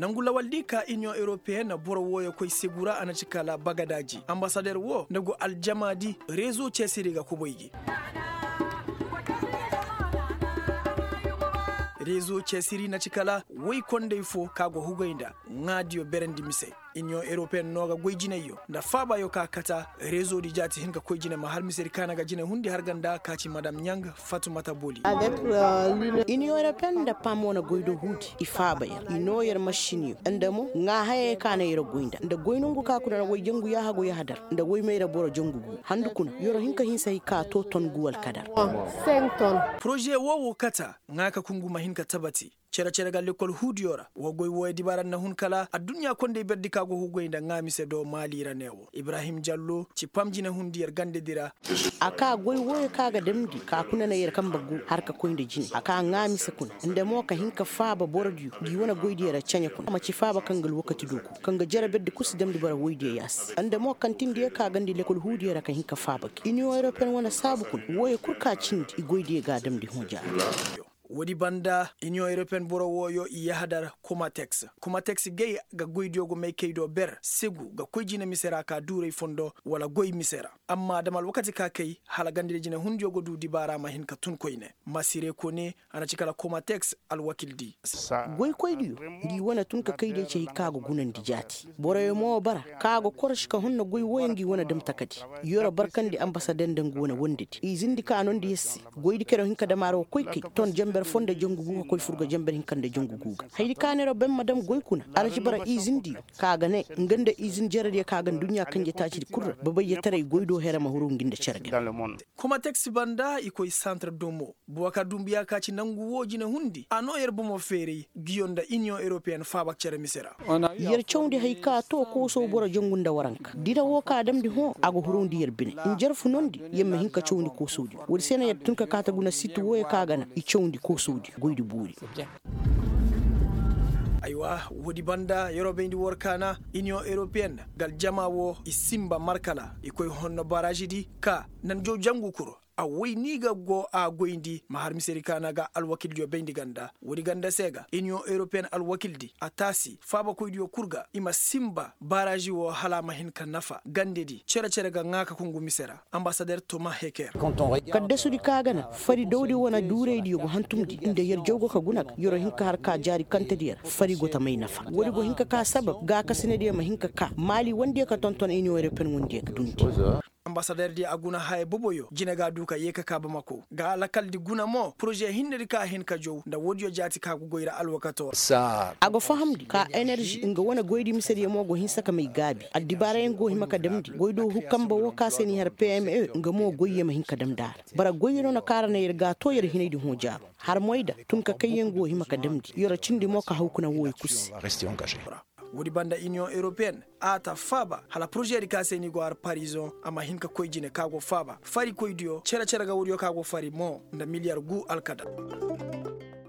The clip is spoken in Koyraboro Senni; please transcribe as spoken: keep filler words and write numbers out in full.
Nangu lawal di ka iniyoŋ europeyen boro wooyo koy segu ra a na ci kala bagadaaji ambasader woo nda go aljamaadi rezo ceesiri ga kubay gi. Rezo ceesiri na ci kala woy kondey foo ka go hugay nda ŋaadiyo berandi mise. Iniyoŋ europeyen no ga goy jinayyo nda faabayo ka kata rezo di jaati hin ka koy jine ma har misedi kaana ga jine hundi har ganda ka ci madam ɲang fatumata boli. Iniyoŋ europeyen nda pam wane goy do huudi i faaba yer i noo yer mašiniyo nda mo ŋaa hayey ka na yer goy nda nda goy nongu ka kuna na woy jangu yaahagu yahadar nda woy mayra boro jangu gu handu kuna yer hin ka hinsa hay ka too ton gu alkadar. Poroze woo wo kata ŋaa ka kungu ma hin ka tabati. Cere-cere ga lekkol huudiyo ra wa goy wooyo dibaara na hun kala adduɲɲa kondey berdi ka go hugay nda ŋaa mise do maali ra ne wo ibrahim jallo ci pam jine hundi yer gandedi ra. A ka goy wooyo ka ga damndi ka kuna na yer kanbe gu har ka koy nda jine a ka ŋaa mise kuna nda mo ka hin ka faaba borodiyo ngi wane goydiyo ra ceɲe kuna a ma ci faaba kaŋ ga alwakati dooku kaŋ ga jere berdi kul si damndi boro woydiyo yaasi nda mo kaŋ tindi yer ka gandi lekkol huudiyo ra ka hin ka faaba gi iniyoŋ europeyen wane saabu kuna wooyo kul ka cindi i goydiyo ga a damndi hõ jaara. Woodi banda iniyoŋ europeyen boro wooyo i yahadar komateks. Komateks gay ga goydiyo go maykey do ber segu ga koy jine mise ra ka duuray fondo wala goy mise ra. Amma dam alwakati ka kay hala gandadi jine hundiyo go du dibaara ma hin ka tun koyne masire kone a na ci kala komateks alwakil di. Goykoydiyo ngi wane tun ka kay day ci hay ka ga gunandi jaati boroyo mo bara ka ga koroši ka honna goy wooyo ngi wane dam takadi. Yoro barkandi ambasader nda ngu wane wondedi izindi ka nondi yer se. Goydi kero hin ka dam a ra wa koy kay ton jenber foo nda jangu gu ka koy fur ga jenber hinka nda jangu gu ga hayadi ka neeroo ben ma dam goy kuna a na ci bara izindiyo ka ga ne nga nda izin jerediyo ka ga nduɲɲa kanje taacidi kul ra babayyetaray goy do here ma huru ngi nda cere ga. Komateks banda i koy santar domo boro ka dumbuya ka ci nangu woo jine hundi a noo yer bomo feeray ngiyo nda iniyoŋ europeyen faaba cere mise ra. Yer cawndi hay ka too koosow boro jangu nda waranka dira woo ka damndi hõ a ga hurowndi yer bine. Njarfu nondi yer ma hin ka cawndi koosowdiyo woodi se no yer tun ka kaate guna sit wooyo ka ga na i cawndi koosowdiyo goydi boori. Aywa, woodi banda yeroo bayndi war kaana iniyoŋ europeyen ga aljama woo i sinba markala i koy honno baraazidi ka nanjaw jangu kul a woy ni ga go a goyndi ma har misedi kaana ga alwakildiyo bayndi ganda woodi ganda se ga iniyoŋ europeyen alwakildi a taasi faabakoydiyo kul ga i ma sinba baraazi woo hala a ma hin ka nafa gandedi cere-cere ga ŋaa ka kungu mise ra. Ambasader toma heker. Kaddasudi ka ga na fari dawdi wane duuraydiyo go hantumndi nda yer jaw go ka guna ga yeroo hin ka har ka jaari kantediyo ra fari go ta may nafa woodi go hin ka ka sabab gaakasinadiyo ma hin ka ka maali wondiyo ka tonton iniyoŋ europeyen wondiyo ga dundi. Ambasaderdiyo a guna haya boboyo jine ga a du ka yee ka ka bamako ga lakaldi guna mo poroze hinnedi ka a hin ka jaw nda woodiyo jaati ka go goy ra alwakato ra. A go fahamndi ka enerži nga wane goydi misediyo mo go hinsa ka may gaabi addibaarayaŋ go hima ka damndi goy do hu kanbe woo ka se n'i har pme nga mo goyyo ma hin ka damndi a ra. Bara goyyo no na kaŋ a ra na yer ga a too yer hinaydi hõ jaaro har moyda tun ka kayyaŋ go hima ka damndi yer cindi mo ka haw kuna wooyo kul se. Woodi banda iniyoŋ europeyen a ta faaba hala porozedi ka se ni go har parizoŋ a ma hin ka koy jine ka go faaba farikoydiyo cere-cere ga woodiyo ka go fari mo nda miliyar gu alkadar.